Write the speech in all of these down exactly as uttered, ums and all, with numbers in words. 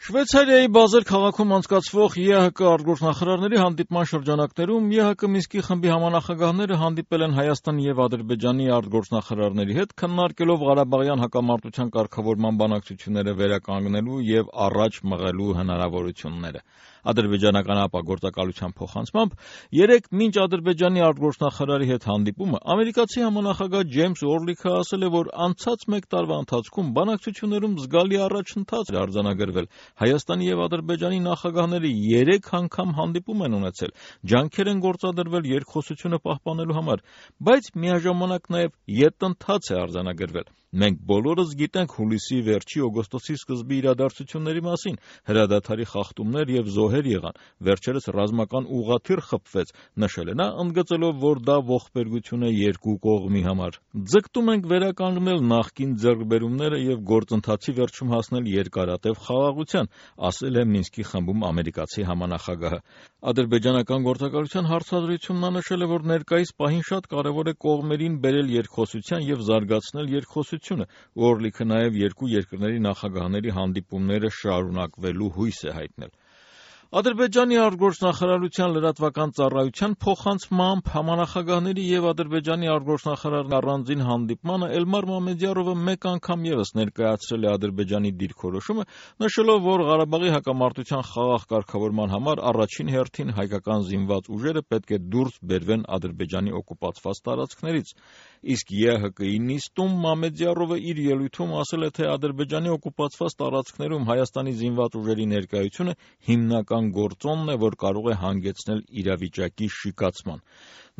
Շվեյցարիայի Բազել քաղաքում անցկացվող ԵՀԿ արտգործնախարարների հանդիպման շրջանակներում ԵՀԿ Մինսկի խմբի համանախագահները հանդիպել են Հայաստանի եւ Ադրբեջանի արտգործնախարարների հետ, քննարկելով Ղարաբաղյան հակամարտության կարգավորման բանակցությունները վերականգնելու եւ առաջ մղելու հնարավորությունները։ Ադրբեջանական ապագործակալության փոխանցմամբ երեկ մինչ Ադրբեջանի արտգործնախարարի հետ հանդիպումը ամերիկացի համանախագահ Ջեյմս Օրլիքը ասել է, որ անցած մեկ տարվա ընթացքում բանակցություններում զգալի առաջընթաց է արձանագրվել։ Հայաստանի եւ Ադրբեջանի նախագահները երեք անգամ հանդիպում են ունեցել, ջանքեր են գործադրվել երկխոսությունը պահպանելու համար, բայց միաժամանակ նաեւ ետնթաց է արձանագրվել։ Մենք բոլորս գիտենք հուլիսի վերջի օգոստոսի սկզբի իրադարձությունների մասին, հրադադարի խախտումներ եւ զոհեր եղան, վերջերս ռազմական ուղղաթիռ խփվեց, նշել է նա, ընդգծելով, որ դա ողբերգություն է երկու կողմի համար։ Ձգտում ենք վերականգնել նախկին ձեռքբերումները եւ գործընթացի վերջում հասնել երկարատև խաղաղության, ասել է Մինսկի խմբում ամերիկացի համանախագահը։ Ադրբեջանական գործակալության հարցազրույցում նա նշել է, որ ներկայիս պահին շատ կարևոր է կողմերին բերել երկխոսության եւ զարգացնել երկխոսությունը։ Օրլիքը նաեւ երկու երկրների նախագահների հանդիպումները շարունակվելու հույս է հայտնել։ Ադրբեջանի արտգործնախարարության լրատվական ծառայության փոխանցմամբ համանախագահների եւ Ադրբեջանի արտգործնախարարի առանձին հանդիպմանը Էլմար Մամեդյարովը մեկ անգամ եւս ներկայացրել է Ադրբեջանի դիրքորոշումը, նշելով, որ Ղարաբաղի հակամարտության խաղաղ կարգավորման համար առաջին հերթին հայկական զինված ուժերը պետք է դուրս բերվեն Ադրբեջանի օկուպացված տարածքներից։ Իսկ ԵՀԿ-ի նիստում Մամեդյարովը իր ելույթում ասել է, թե Ադրբեջանի օկուպացված տարածքներում Հայաստանի զինված ուժերի ներկայությունը հիմնական գործոնն է, որ կարող է հանգեցնել իրավիճակի շիկացման։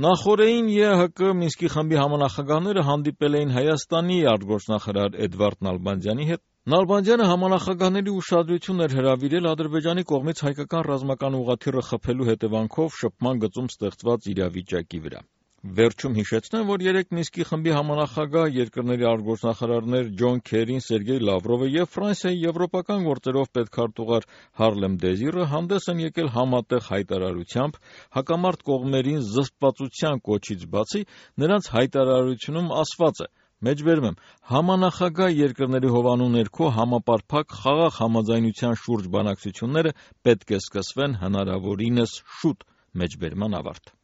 Նախօրեին ԵՀԿ Մինսկի խմբի համանախագահները հանդիպել էին Հայաստանի արտգործնախարար Էդվարդ Նալբանդյանի հետ։ Նալբանդյանը համանախագահների ուշադրությունն էր հրավիրել Ադրբեջանի կողմից հայկական ռազմական ուղղաթիռը խփելու հետևանքով շփման գծում ստեղծված իրավիճակի վրա։ Վերջում հիշեցնեմ, որ երեկ Մինսկի խմբի համանախագահ երկրների արտգործնախարարներ Ջոն Քերին, Սերգեյ Լավրովը եւ Ֆրանսիայի եվրոպական գործերով պետքարտուղար Հարլեմ Դեզիրը հանդես են եկել համատեղ հայտարարությամբ, հակամարտ կողմերին զսպվածության կոչից բացի նրանց հայտարարությունում ասված է. Մեջբերում եմ, համանախագահ երկրների հովանու ներքո համապարփակ խաղաղ համաձայնության շուրջ բանակցությունները պետք է սկսվեն հնարավորինս շուտ։ Մեջբերման ավարտ։